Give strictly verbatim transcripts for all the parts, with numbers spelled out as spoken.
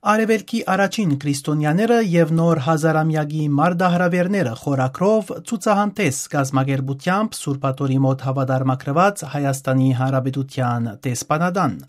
Արեւելքի առաջին քրիստոնեաները եւ նոր հազարամեակի մարտահրաւէրները խորագրով ցուցահանդէս կազմակերպութեամբ Սուրբ Աթոռի մօտ հաւատարմագրուած Հայաստանի Հանրապետութեան դեսպանատան։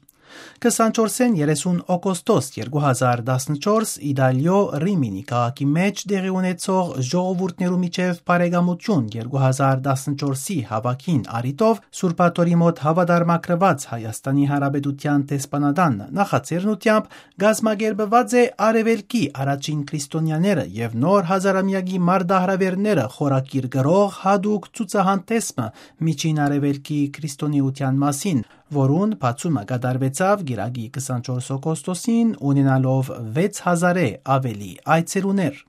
Քսանչորսէն երեսուն օգոստոս երկու հազար տասնչորս Իտալիոյ Ռիմինի քաղաքի մէջ տեղի ունեցող ժողովուրդներու միջեւ բարեկամություն երկու հազար տասնչորսի հաւաքին առիթով Սուրբ Աթոռի մօտ հաւատարմագրուած Հայաստանի Հանրապետութեան դեսպանատան նախաձեռնութեամբ կազմակերպուած է Արեւելքի առաջին քրիստոնեաները եւ նոր հազարամեակի մարտահրաւէրները խորագիր գրող յատուկ ցուցահանդէս մը Միջին Արեւելքի քրիստոնէութեան մասին, որուն բացումը կատարուեցաւ կիրակի քսանչորս օգոստոսին, ունենալով վեց հազարէ աւելի այցելուներ։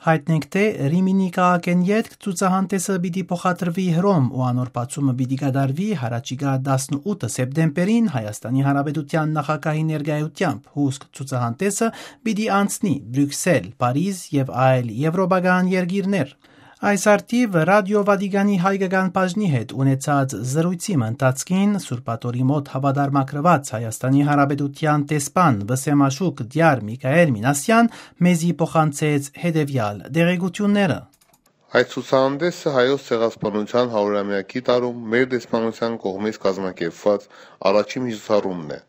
Յայտնենք թէ Ռիմինի քաղաքէն ետք ցուցահանդէսը պիտի փոխադրուի Հռոմ ու անոր բացումը պիտի կատարուի յառաջիկայ տասնութ սեպտեմբերին Հայաստանի Հանրապետութեան նախագահի ներկայութեամբ։ Հուսկ ցուցահանդէսը պիտի անցնի Բրիւքսել, Փարիզ եւ այլ եւրոպական երկիրներ։ Այս առթիւ Ռատիօ Վատիկանի հայկական բաժնի հետ ունեցած զրոյցի մը ընթացքին Սուրբ Աթոռի մօտ հաւատարմագրուած Հայաստանի Հանրապետութեան դեսպան Վսեմաշուք Տիար Միքայել Մինասեան մեզի փոխանցեց հետեւեալ տեղեկութիւնները։ Այս ցուցահանդէսը Հայոց ցեղասպանութեան հարիւրամեակի տարում մեր դեսպանութեան կողմէ կազմակերպուած առաջին միջոցառումն է,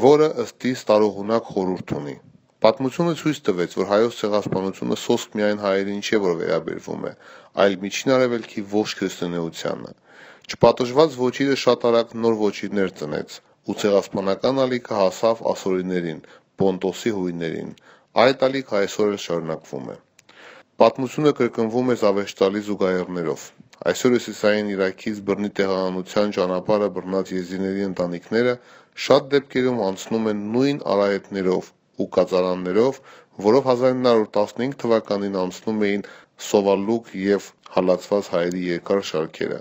որը ըստ իս տարողունակ խորհուրդ ունի։ Պատմութիւնը ցոյց տուեց, որ Հայոց ցեղասպանութիւնը սոսկ միայն հայերին չէ, որ վերաբերվում է, այլ Միջին Արեւելքի ողջ քրիստոնէությանը։ Չպատժուած ոճիրը շատ արագ նոր ոճիրներ ծնեց ու ցեղասպանական ալիքը հասաւ ասորիներին, Պոնտոսի յոյներուն։ Այդ ալիքը այսօր էլ շարունակվում է։ Պատմութիւնը կրկնվում է զաւեշտալի զուգահեռներով։ Այսօր Հիւսիսային Իրաքից բռնի տեղահանութեան ճանապարհը բռնած եզիդիների ընտանիքները շատ դեպքերում անցնում են նոյն արահետներով ու կածարաններով, որով հազար ինը հարիւր տասնհինգ թուականին անցնում էին Սովալուկ եւ հալածուած հայերի երկար շարքերը։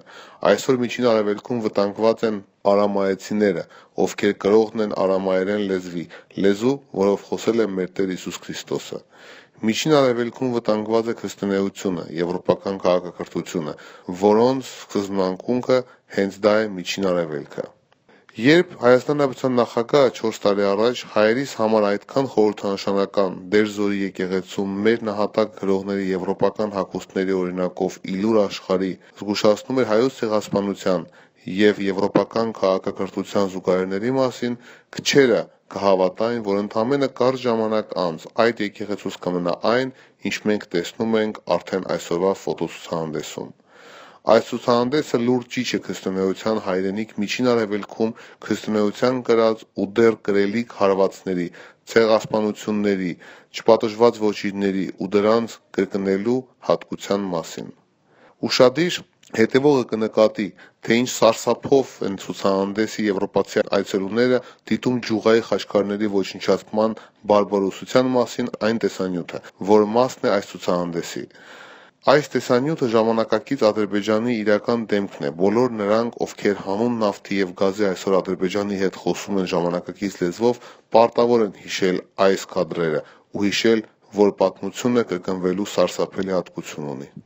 Այսօր Միջին Արեւելքում վտանգուած են արամայեցիները, ովքեր կրողն են արամայերէն լեզուի, լեզու, որով խօսել է մեր Տէր Յիսուս Քրիստոսը։ Միջին Արեւելքում վտանգուած է քրիստոնէութիւնը, եվրոպական քաղաքակրթութիւնը, որոնց սկզբնանկունքը հենց դա է Միջին Արեւելքը։ Երբ Հայաստան Հանրապետության նախագահը չորս տարի առաջ հայերիս համար այդքան խորհրդանշանական Տէր Զորի եկեղեցու մեր նահատակ գրողների եվրոպական հագուստների օրինակով ի լուր աշխարհի զգուշացնում էր հայոց ցեղասպանութեան եւ եվրոպական քաղաքակրթութեան զուգահեռների մասին, քչերը կը հաւատային, որ ընդամէնը կարճ ժամանակ անց այդ եկեղեցուց կը մնայ այն, ինչ մենք տեսնում ենք արդէն այսօրուայ ֆոտոցուցահանդէսում։ Այս ցուցահանդէսը լուրջ ճիչ է քրիստոնէութեան հայրենիք Միջին Արեւելքում քրիստոնէութեան կրած ու դեռ կրելիք հարուածների, ցեղասպանութիւնների, չպատժուած ոճիրների ու դրանց կրկնելու յատկութեան մասին։ Ուշադիր հետեւողը կը նկատի, թէ ինչ սարսափով են ցուցահանդէսի եվրոպացի այցելուները դիտում Ջուղայի խաչքարների ոչնչացման բարբարոսութեան մասին այն տեսանիւթը, որ մասն է այս ցուցահանդէսի։ Այս տեսանիւթը ժամանակակից Ադրբեջանի իրական դէմքն է։ Բոլոր նրանք, ովքեր հանուն նավթի եւ գազի այսօր Ադրբեջանի հետ խօսում են ժամանակակից լեզուով, պարտաւոր են յիշել այս կադրերը ու յիշել, որ պատմութիւնը կրկնուելու սարսափելի յատկություն ունի։